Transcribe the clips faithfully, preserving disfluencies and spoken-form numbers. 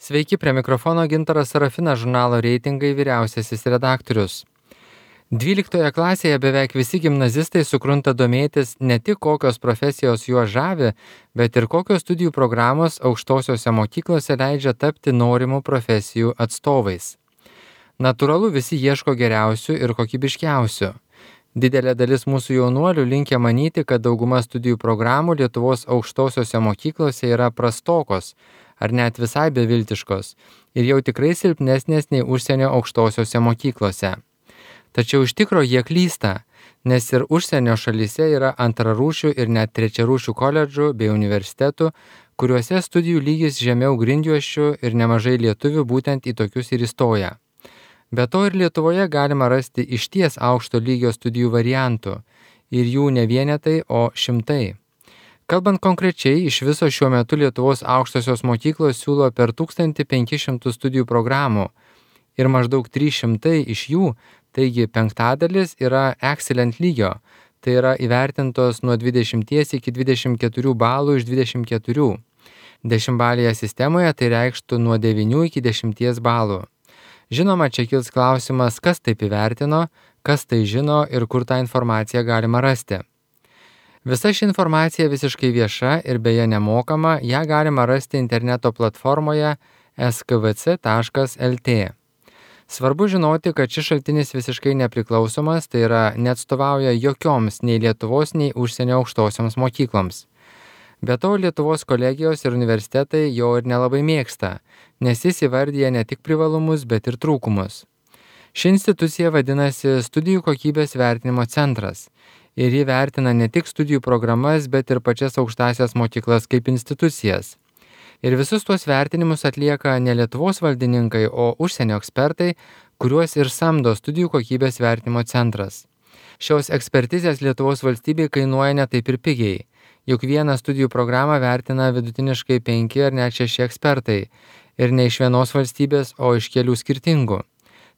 Sveiki, prie mikrofono Gintaras Sarafinas, žurnalo Reitingai vyriausiasis redaktorius. dvyliktoje klasėje beveik visi gimnazistai sukrunta domėtis ne tik kokios profesijos juos žavi, bet ir kokios studijų programos aukštosiose mokyklose leidžia tapti norimų profesijų atstovais. Natūralu, visi ieško geriausių ir kokybiškiausių. Didelė dalis mūsų jaunuolių linkę manyti, kad dauguma studijų programų Lietuvos aukštosiose mokyklose yra prastokos ar net visai beviltiškos ir jau tikrai silpnesnės nei užsienio aukštosiose mokyklose. Tačiau iš tikro jie klysta, nes ir užsienio šalyse yra antrarūšių ir net trečiarūšių koledžų bei universitetų, kuriuose studijų lygis žemiau grindjuosčių ir nemažai lietuvių būtent į tokius ir įstoja. Be to ir Lietuvoje galima rasti išties aukšto lygio studijų variantų ir jų ne vienetai, o šimtai. Kalbant konkrečiai, iš viso šiuo metu Lietuvos aukštosios mokyklos siūlo per tūkstantį penkis šimtus studijų programų ir maždaug trys šimtai iš jų, taigi penktadalis, yra excellent lygio, tai yra įvertintos nuo dvidešimt iki dvidešimt keturių balų iš dvidešimt keturių. Dešimtbalėje sistemoje tai reikštų nuo devynių iki dešimties balų. Žinoma, čia kils klausimas, kas taip įvertino, kas tai žino ir kur tą informaciją galima rasti. Visa ši informacija visiškai vieša ir beje nemokama, ją galima rasti interneto platformoje es ka ve ce taškas el tė. Svarbu žinoti, kad šis šaltinis visiškai nepriklausomas, tai yra neatstovauja jokioms nei Lietuvos, nei užsienio aukštosioms mokykloms. Be to, Lietuvos kolegijos ir universitetai jo ir nelabai mėgsta, nes jis įvardyja ne tik privalumus, bet ir trūkumus. Ši institucija vadinasi Studijų kokybės vertinimo centras ir ji vertina ne tik studijų programas, bet ir pačias aukštąsias mokyklas kaip institucijas. Ir visus tuos vertinimus atlieka ne Lietuvos valdininkai, o užsienio ekspertai, kuriuos ir samdo Studijų kokybės vertinimo centras. Šios ekspertizės Lietuvos valstybei kainuoja ne taip ir pigiai, juk vieną studijų programą vertina vidutiniškai penki ar net šeši ekspertai ir ne iš vienos valstybės, o iš kelių skirtingų.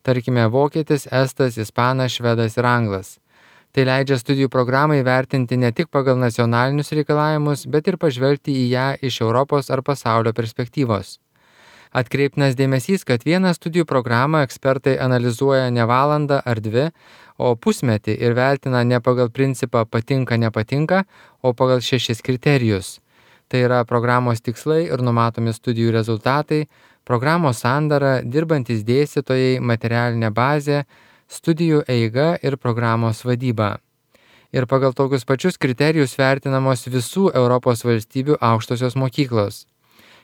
Tarkime, vokietis, estas, ispanas, švedas ir anglas. Tai leidžia studijų programai vertinti ne tik pagal nacionalinius reikalavimus, bet ir pažvelgti į ją iš Europos ar pasaulio perspektyvos. Atkreiptinas dėmesys, kad vieną studijų programą ekspertai analizuoja ne valandą ar dvi, o pusmetį ir vertina ne pagal principą patinka-nepatinka, o pagal šešis kriterijus. Tai yra programos tikslai ir numatomi studijų rezultatai, programos sandara, dirbantys dėstytojai, materialinė bazė, studijų eiga ir programos vadyba. Ir pagal tokius pačius kriterijus vertinamos visų Europos valstybių aukštosios mokyklos.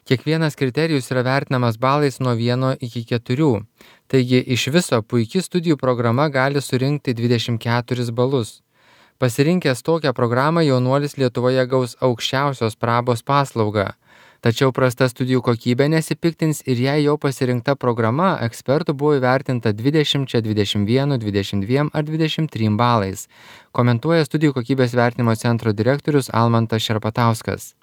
Kiekvienas kriterijus yra vertinamas balais nuo vieno iki keturių. Taigi iš viso puiki studijų programa gali surinkti dvidešimt keturis balus. Pasirinkęs tokią programą jaunuolis Lietuvoje gaus aukščiausios prabos paslaugą. Tačiau prasta studijų kokybė nesipiktins ir jei jau pasirinkta programa ekspertų buvo įvertinta dvidešimt, dvidešimt vienas, dvidešimt dvi ar dvidešimt trys balais, komentuoja Studijų kokybės vertinimo centro direktorius Almantas Šerpatauskas.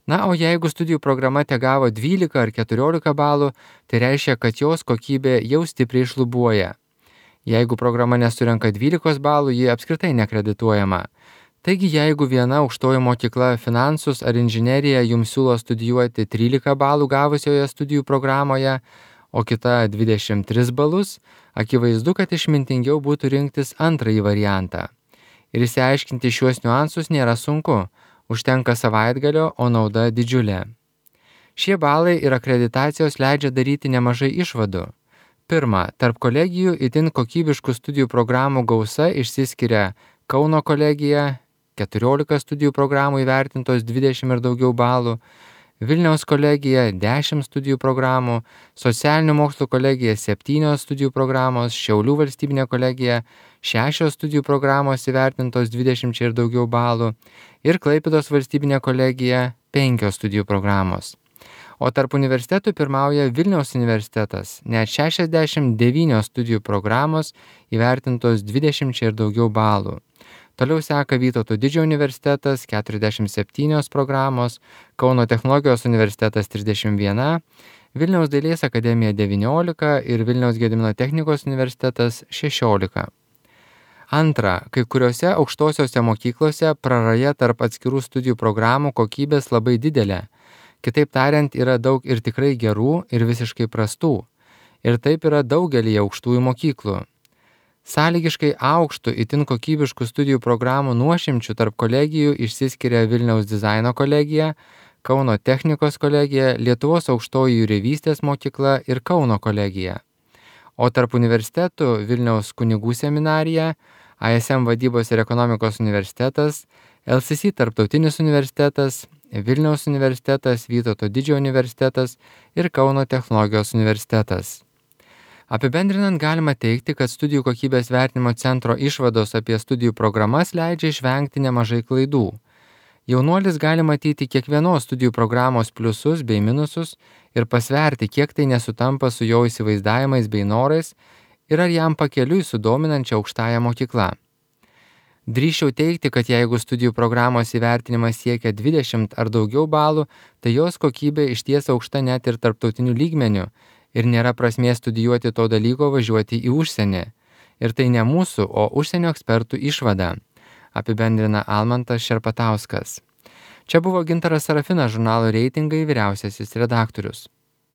Na, o jeigu studijų programa tegavo dvylika ar keturiolika balų, tai reiškia, kad jos kokybė jau stipriai šlubuoja. Jeigu programa nesurenka dvylikos balų, ji apskritai nekredituojama. Taigi, jeigu viena aukštoji mokykla finansus ar inžineriją jums siūlo studijuoti trylika balų gavusioje studijų programoje, o kita dvidešimt tris balus, akivaizdu, kad išmintingiau būtų rinktis antrąjį variantą. Ir išsiaiškinti šiuos niuansus nėra sunku, užtenka savaitgalio, o nauda didžiulė. Šie balai ir akreditacijos leidžia daryti nemažai išvadų. Pirma, tarp kolegijų itin kokybiškų studijų programų gausa išsiskiria Kauno kolegija, keturiolika studijų programų įvertintos dvidešimt ir daugiau balų, Vilniaus kolegija dešimt studijų programų, Socialinių mokslų kolegija septynios studijų programos, Šiaulių valstybinė kolegija šešios studijų programos įvertintos dvidešimt ir daugiau balų ir Klaipėdos valstybinė kolegija penkios studijų programos. O tarp universitetų pirmauja Vilniaus universitetas, net šešiasdešimt devynios studijų programos įvertintos dvidešimt ir daugiau balų. Toliau seka Vytauto Didžiojo universitetas keturiasdešimt septynios programos, Kauno technologijos universitetas trisdešimt viena, Vilniaus dailės akademija devyniolika ir Vilniaus Gedimino technikos universitetas šešiolika. Antra, kai kuriuose aukštosiose mokyklose praraja tarp atskirų studijų programų kokybės labai didelė. Kitaip tariant, yra daug ir tikrai gerų, ir visiškai prastų. Ir taip yra daugelį aukštųjų mokyklų. Sąlygiškai aukštų, itin kokybiškų studijų programų nuošimčių tarp kolegijų išsiskiria Vilniaus dizaino kolegija, Kauno technikos kolegija, Lietuvos aukštoji jūreivystės mokykla ir Kauno kolegija. O tarp universitetų Vilniaus kunigų seminarija, I S M vadybos ir ekonomikos universitetas, L C C tarptautinis universitetas, Vilniaus universitetas, Vytauto Didžiojo universitetas ir Kauno technologijos universitetas. Apibendrinant galima teigti, kad studijų kokybės vertinimo centro išvados apie studijų programas leidžia išvengti nemažai klaidų. Jaunuolis gali matyti kiekvienos studijų programos pliusus bei minusus ir pasverti, kiek tai nesutampa su jo įsivaizdavimais bei norais ir ar jam pakeliui su dominančia aukštąja mokykla. Drįsčiau teigti, kad jeigu studijų programos įvertinimas siekia dvidešimt ar daugiau balų, tai jos kokybė išties aukšta net ir tarptautiniu lygmeniu ir nėra prasmės studijuoti to dalyko važiuoti į užsienį. Ir tai ne mūsų, o užsienio ekspertų išvada, apibendrina Almantas Šerpatauskas. Čia buvo Gintaras Sarafinas, žurnalo Reitingai vyriausiasis redaktorius.